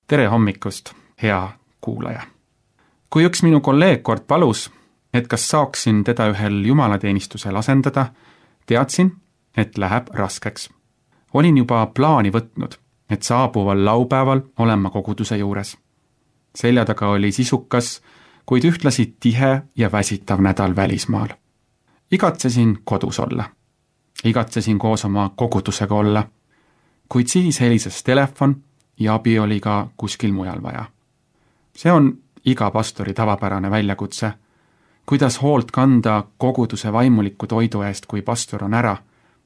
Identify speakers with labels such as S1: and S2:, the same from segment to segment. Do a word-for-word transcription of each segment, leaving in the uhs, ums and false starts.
S1: Tere hommikust, hea kuulaja! Kui üks minu kolleeg kord palus, et kas saaksin teda ühel jumalateenistusel asendada, teadsin, et läheb raskeks. Olin juba plaani võtnud, et saabuval laupäeval olen ma koguduse juures. Selja taga oli sisukas, kuid ühtlasi tihe ja väsitav nädal välismaal. Igatsesin kodus olla. Igatsesin koos oma kogudusega olla. Kuid siis helises telefon ja abi oli ka kuskil mujal vaja. See on iga pastori tavapärane väljakutse. Kuidas hoolt kanda koguduse vaimuliku toidu eest, kui pastor on ära,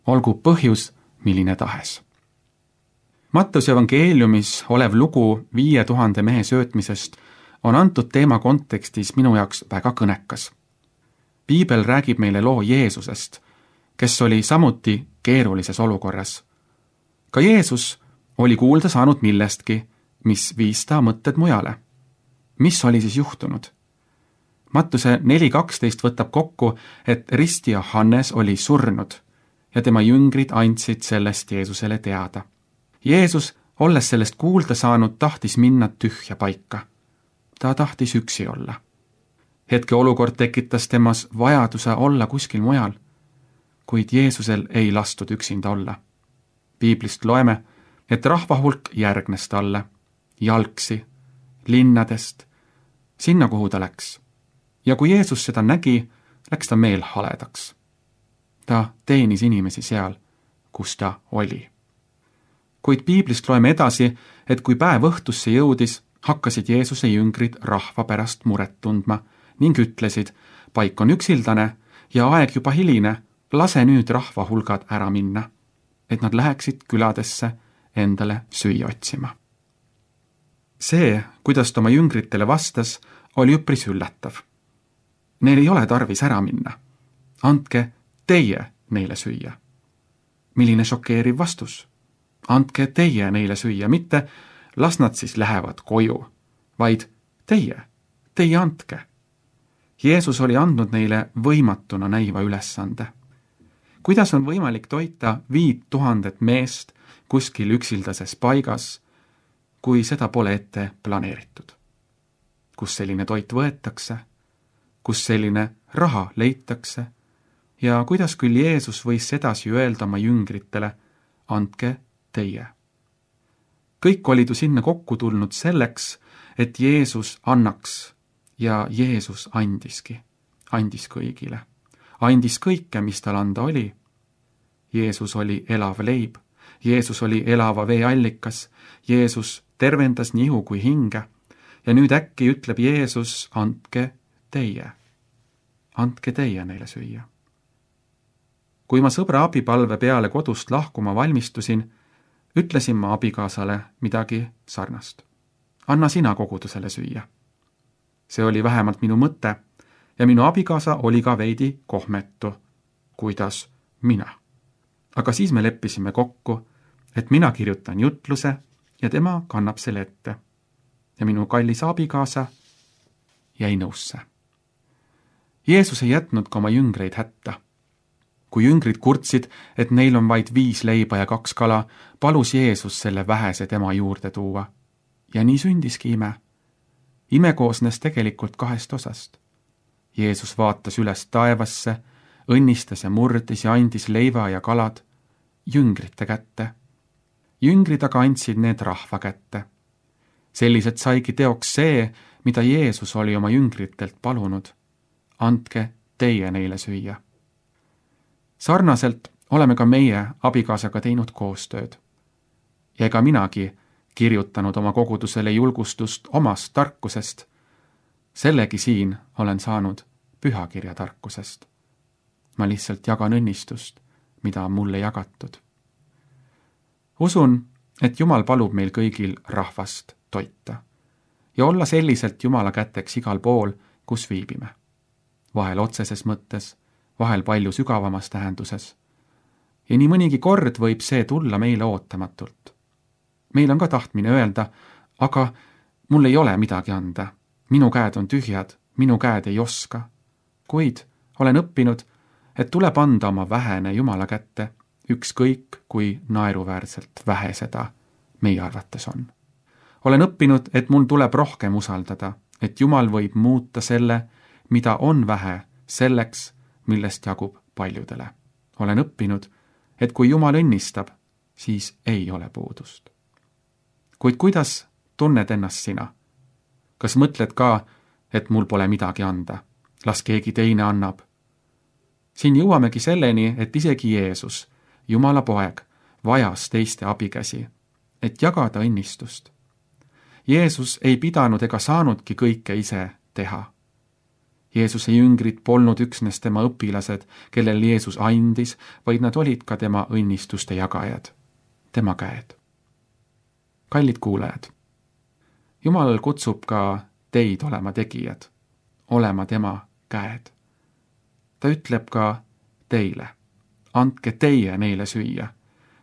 S1: olgu põhjus milline tahes. Mattuse evangeeliumis olev lugu viie tuhande mehe söötmisest on antud teema kontekstis minu jaoks väga kõnekas. Piibel räägib meile loo Jeesusest, kes oli samuti keerulises olukorras. Ka Jeesus oli kuulda saanud millestki, mis viis ta mõtted mujale. Mis oli siis juhtunud? Mattuse neli kaksteist võtab kokku, et ristija Hannes oli surnud ja tema jüngrid andsid sellest Jeesusele teada. Jeesus, olles sellest kuulda saanud, tahtis minna tühja paika. Ta tahtis üksi olla. Hetke olukord tekitas temas vajaduse olla kuskil mujal, kuid Jeesusel ei lastud üksinda olla. Piiblist loeme, et rahvahulk järgnes talle, jalgsi, linnadest, sinna kuhu ta läks. Ja kui Jeesus seda nägi, läks ta meel haledaks. Ta teenis inimesi seal, kus ta oli. Kuid piiblist loeme edasi, et kui päev õhtusse jõudis, hakkasid Jeesuse jüngrid rahva pärast muret tundma ning ütlesid, paik on üksildane ja aeg juba hiline, lase nüüd rahva hulgad ära minna, et nad läheksid küladesse endale süüa otsima. See, kuidas ta oma jüngritele vastas, oli üpris üllatav. Neil ei ole tarvis ära minna. Andke teie neile süüa. Milline šokeeriv vastus? Andke teie neile süüa, mitte las nad siis lähevad koju, vaid teie, teie andke. Jeesus oli andnud neile võimatuna näiva ülesande. Kuidas on võimalik toita viit tuhandet meest kuskil üksildases paigas, kui seda pole ette planeeritud? Kus selline toit võetakse? Kus selline raha leitakse? Ja kuidas küll Jeesus võis edasi öelda oma jüngritele, andke teie? Kõik olid ju sinna kokku tulnud selleks, et Jeesus annaks, ja Jeesus andiski, andis kõigile. Andis kõike, mis tal anda oli. Jeesus oli elav leib, Jeesus oli elava vee allikas, Jeesus tervendas nii ihu kui hinge, ja nüüd äkki ütleb Jeesus, andke teie. Andke teie neile süüa. Kui ma sõbra abipalve peale kodust lahkuma valmistusin, ütlesin ma abikaasale midagi sarnast. Anna sina kogudusele süüa. See oli vähemalt minu mõte ja minu abikaasa oli ka veidi kohmetu. Kuidas mina? Aga siis me leppisime kokku, et mina kirjutan jutluse ja tema kannab selle ette. Ja minu kallis abikaasa jäi nõusse. Jeesus ei jätnud ka oma jüngreid hätta. Kui jüngrid kurtsid, et neil on vaid viis leiba ja kaks kala, palus Jeesus selle vähese tema juurde tuua. Ja nii sündiski ime. Ime koosnes tegelikult kahest osast. Jeesus vaatas üles taevasse, õnnistas ja murdis ja andis leiva ja kalad jüngrite kätte. Jüngrid aga andsid need rahva kätte. Selliselt saigi teoks see, mida Jeesus oli oma jüngritelt palunud. Andke teie neile süüa. Sarnaselt oleme ka meie abikaasaga teinud koostööd. Ja ega minagi kirjutanud oma kogudusele julgustust omast tarkusest. Sellegi siin olen saanud pühakirja tarkusest. Ma lihtsalt jagan õnnistust, mida on mulle jagatud. Usun, et Jumal palub meil kõigil rahvast toita ja olla selliselt Jumala käteks igal pool, kus viibime. Vahel otseses mõttes, vahel palju sügavamas tähenduses. Ja nii mõnigi kord võib see tulla meile ootamatult. Meil on ka tahtmine öelda, aga mul ei ole midagi anda. Minu käed on tühjad, minu käed ei oska. Kuid olen õppinud, et tuleb anda oma vähene Jumala kätte, ükskõik kui naeruväärselt vähe seda meie arvates on. olen õppinud, et mul tuleb rohkem usaldada, et Jumal võib muuta selle, mida on vähe, selleks, millest jagub paljudele. olen õppinud, et kui Jumal õnnistab, siis ei ole puudust. Kuid kuidas tunned ennast sina? Kas mõtled ka, et mul pole midagi anda? Las keegi teine annab. Siin jõuamegi selleni, et isegi Jeesus, Jumala poeg, vajas teiste abikäsi, et jagada õnnistust. Jeesus ei pidanud ega saanudki kõike ise teha. Jeesuse jüngrid polnud üksnes tema õpilased, kellel Jeesus andis, vaid nad olid ka tema õnnistuste jagajad, tema käed. Kallid kuulajad, Jumal kutsub ka teid olema tegijad, olema tema käed. Ta ütleb ka teile, andke teie neile süüa,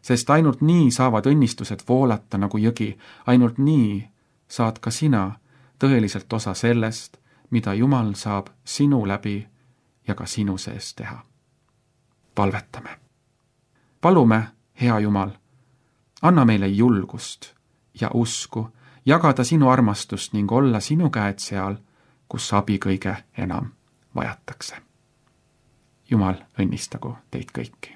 S1: sest ainult nii saavad õnnistused voolata nagu jõgi, ainult nii saad ka sina tõeliselt osa sellest, mida Jumal saab sinu läbi ja ka sinu sees teha. Palvetame. Palume, hea Jumal, anna meile julgust ja usku, jagada sinu armastust ning olla sinu käed seal, kus abi kõige enam vajatakse. Jumal õnnistagu teid kõiki.